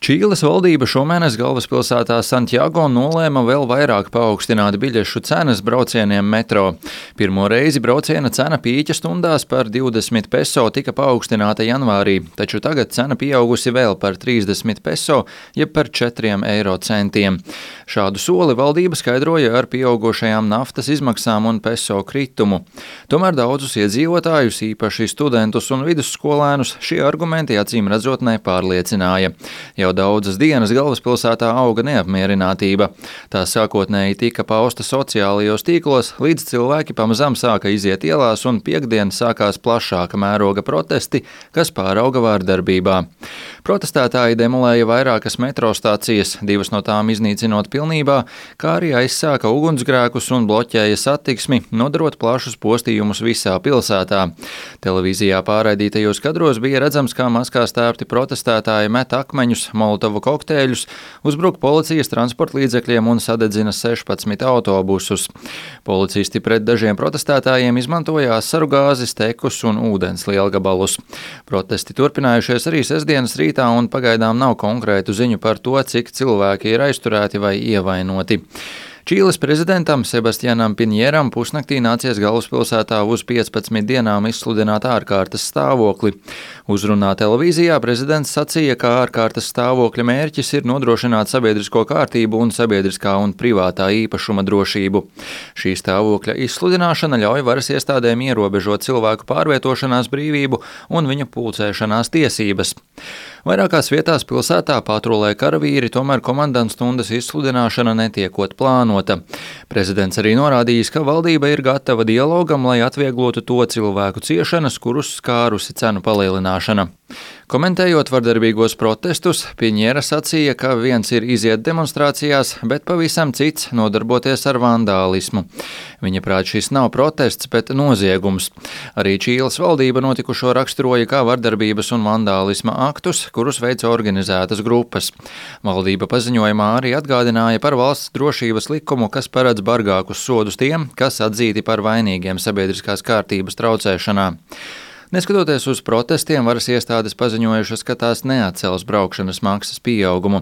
Čīles valdība šomēnes galvaspilsētā Santjago nolēma vēl vairāk paaugstināt biļešu cenas braucieniem metro. Pirmo reizi brauciena cena pīķa stundās par 20 peso tika paaugstināta janvārī, taču tagad cena pieaugusi vēl par 30 peso, jeb par 4 eiro centiem. Šādu soli valdība skaidroja ar pieaugušajām naftas izmaksām un peso kritumu. Tomēr daudzus iedzīvotājus, īpaši studentus un vidusskolēnus, šie argumenti acīm redzot nepārliecināja. Jau daudzas dienas galvaspilsētā auga neapmierinātība. Tā sākotnēji tika pausta sociālajos tīklos, līdz cilvēki pamazām sāka iziet ielās un piektdien sākās plašāka mēroga protesti, kas pārauga vārdarbībā. Protestētāji demolēja vairākas metro stācijas, 2 no tām iznīcinot pilnībā, kā arī aizsāka ugunsgrēkus un bloķēja satiksmi, nodarot plašus postījumus visā pilsētā. Televīzijā pārraidītajos kadros bija redzams, kā maskās tērpti protestētāji met akmeņus, molotovu kokteļus, uzbruk policijas transporta līdzekļiem un sadedzina 16 autobusus. Policisti pret dažiem protestētājiem izmantoja asaru gāzi, stekus un ūdens lielgabalus. Protesti turpinājušies arī sestdienas rītā un pagaidām nav konkrētu ziņu par to, cik cilvēki ir aizturēti vai ievainoti. Čīles prezidentam Sebastianam Piņeram pusnaktī nācies galvaspilsētā uz 15 dienām izsludināt ārkārtas stāvokli. Uzrunā televīzijā prezidents sacīja, ka ārkārtas stāvokļa mērķis ir nodrošināt sabiedrisko kārtību un sabiedriskā un privātā īpašuma drošību. Šī stāvokļa izsludināšana ļauj varas iestādēm ierobežot cilvēku pārvietošanās brīvību un viņu pulcēšanās tiesības. Vairākās vietās pilsētā patrulē karavīri, tomēr komandantstundas izsludināšana netiekot plānota. Prezidents arī norādījis, ka valdība ir gatava dialogam, lai atvieglotu to cilvēku ciešanas, kurus skārusi cenu palielināšana. Komentējot vardarbīgos protestus, Piņera sacīja, ka viens ir iziet demonstrācijās, bet pavisam cits nodarboties ar vandālismu. Viņa prāt šis nav protests, bet noziegums. Arī Čīles valdība notikušo raksturoja kā vardarbības un vandālisma aktus, kurus veica organizētas grupas. Valdība paziņojumā arī atgādināja par valsts drošības likumu, kas paredz bargākus sodus tiem, kas atzīti par vainīgiem sabiedriskās kārtības traucēšanā. Neskatoties uz protestiem, varas iestādes paziņojušas, ka tās neatcels braukšanas maksas pieaugumu.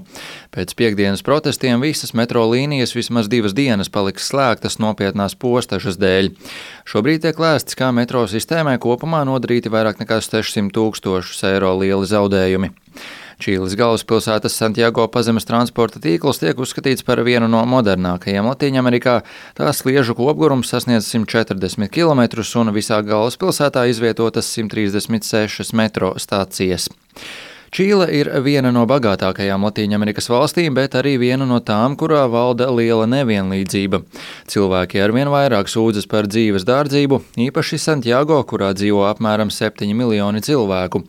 Pēc piekdienas protestiem visas metro līnijas vismaz 2 dienas paliks slēgtas nopietnās postažas dēļ. Šobrīd tiek lēsts, kā metro sistēmai kopumā nodarīti vairāk nekā 600 000 eiro lieli zaudējumi. Čīles galvaspilsētas Santjago pazemes transporta tīkls tiek uzskatīts par vienu no modernākajiem Latīņamerikā. Tā sliežu kopgurums sasniedz 140 km un visā galvaspilsētā izvietotas 136 metro stācijas. Čīle ir viena no bagātākajām Latīņamerikas valstīm, bet arī viena no tām, kurā valda liela nevienlīdzība. Cilvēki arvien vairāk sūdzas par dzīves dārdzību, īpaši Santjago, kurā dzīvo apmēram 7 miljoni cilvēku.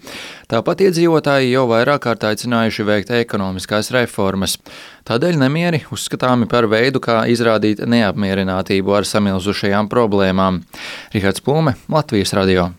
Tāpat iedzīvotāji jau vairāk kārt aicinājuši veikt ekonomiskās reformas. Tādēļ nemieri uzskatāmi par veidu, kā izrādīt neapmierinātību ar samilzušajām problēmām. Rihards Plūme, Latvijas radio.